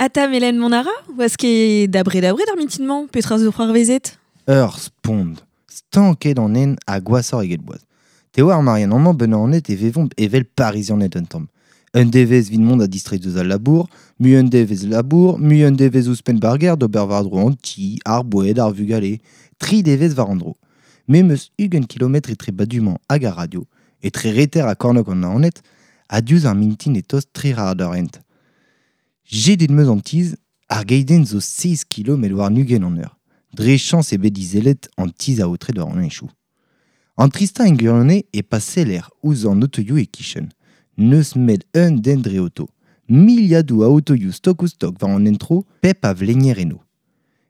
Ata Melen Monara, oas ket da bred ar mintin-mañ, petra zo c'hoarvezet? Ur spont. Stanket an en ha gwashoc'h eget boaz. Te oar Marianne amañ ben an e vevomp evel Parizianed un tamm. Un devezh vit mont a distreiñ deus al labour, mui un devezh labour, mui un devezh ouzhpenn barger d'ober war-dro an ti, ar boued, ar vugale, tri devezh war an dro. Me 'm eus 20 kilometr etre Badumañ hag ar radio, etre reter ha kornôg an Naoned, ha diouzh ar mintin e tost tri c'hard eur hent. Jedet 'm eus an tizh, ar geidenn zo 6 kilometr warn-ugent an eur. Dre chañs eo bet izelet an tizh aotret war an henchoù. An tristañ en gwirionez e pa seller ouzh an otoioù e-kichen. N'eus 'met un den dre oto. Miliadoù a otoioù stok-ouzh-stok war an hent-tro, pep a vlenier eno.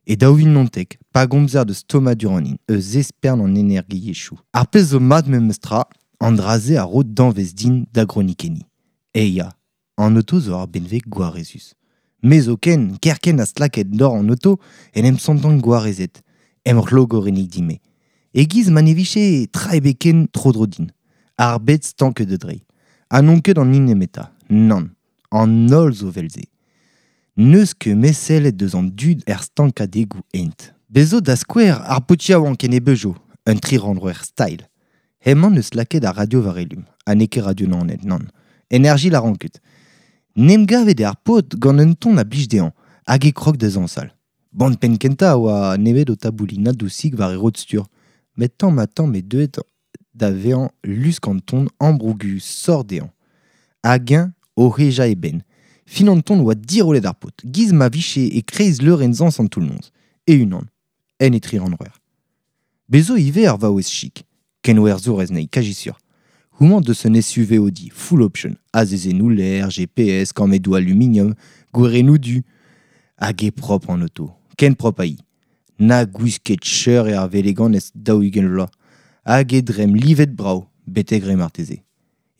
E 2019, pa gomzer deus tommadur an hin, eus espern an energiezhioù. Ar pezh zo mat memes tra, an dra-se a ro danvez din da gronikenniñ. Eh ya, an oto zo ur benveg gwarezus. Me zoken, kerkent ha stlaket dor an oto, en em santan gwarezet, em c'hlogorennig din-me. E-giz ma ne vije tra ebet ken tro-dro din. Ar bed stanket da dreiñ. Ha n'on ket an hini nemetañ, nann. An holl zo 'vel-se. N'eus ket met sellet deus an dud er stankadegoù hent. Bez zo da skouer ar paotr yaouank en e Peugeot, un tri-rannvroer style. Hemañ 'neus lakaet ar radio war elum, ha n'eo ket radio Naoned, nann. Energie la ket. N'em gavet eo ar paotr gant un ton a blij dezhañ, hag e krog da zañsal. Bon penn kentañ a oa nemet o taboulinañ dousik war e rod-stur, met tamm-ha-tamm eo deuet da vezañ lusk an ton ambrougus sort dezhañ. Hag eñ o hejañ e benn. Fin an ton oa dirollet ar paotr, giz ma vije e-kreiz leurenn-zañs an toull-noz, e-unan, en e tri-rannvroer. Bez zo ivez ar vaouez chik, kenwerzhourez anezhi, kazi sur. Houmañ deus un SUV Audi, full option, azezennoù lêr, GPS, kammedoù aluminium, gwerennoù du. Hag eo propr an oto, ken propr ha hi. Na gwisket cheur eo ar veleganez 40 vloaz. Hag e dremm livet brav, betek re marteze.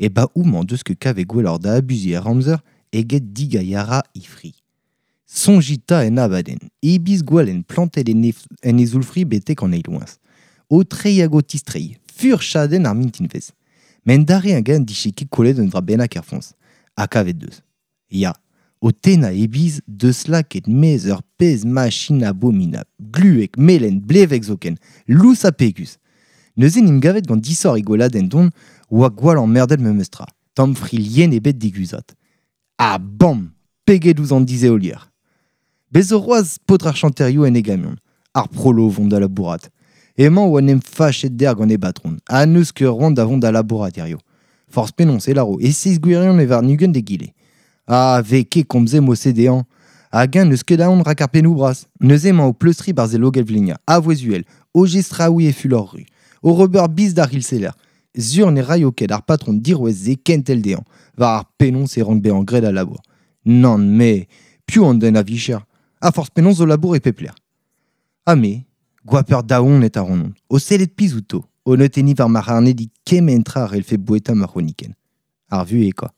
E ba houmañ deus ket kavet gwelloc'h da abuziñ ar amzer eget digailharañ he fri. Soñjit 'ta en abadenn, he biz gwalenn plantet en he zoull-fri betek an eil loeñs. O treiñ hag o tistreiñ, furchadenn ar mintinvezh. Met dare hag-eñ dije ket kollet un dra bennak er foñs. Ha kavet deus. Ya, o tennañ e biz deus lakaet 'maez ur pezh machin abominabl, gluek, melen, blevek zoken, lous ha pegus. Neuze 'n em gavet gant disoc'h e gweladenn don oa gwall emmerdet memes tra. Tamm fri lien ebet diguzhat. Ha bam! Peget ouzh an disheolier. Bez zo c'hoazh paotr ar chanterioù en e gamion, ar prolo o vont da labourat. Hemañ oa en em fachet dec'h gant e batron, ha n'eus ket c'hoant da vont da labourat hiziv. Forzh penaos e lâro e seizh gwirion e warn-ugent d'egile. Ha 'vez ket komzet mod-se dezhañ. Hag-eñ n'eus ket aon rak ar pennoù bras. Neuze emañ o pleustriñ 'barzh e logell-vleniañ, a vouezh uhel, o jestraouiñ e fulor ru, o ober biz d'ar c'hilseller. Sur ne raio ket ar patron dirouez-se kentel dezhañ, war ar penaos e rank bezañ graet al labour. Nann, me, piv an den a vicher? Ha forzh penaos zo labour e pep lec'h. Ha me, goaper daonet a ran, o sellet pizh outo, o neutenniñ war ma c'harnedig kement tra a c'hellfe boueta ma c'hronikenn. Ar vuhez kwa.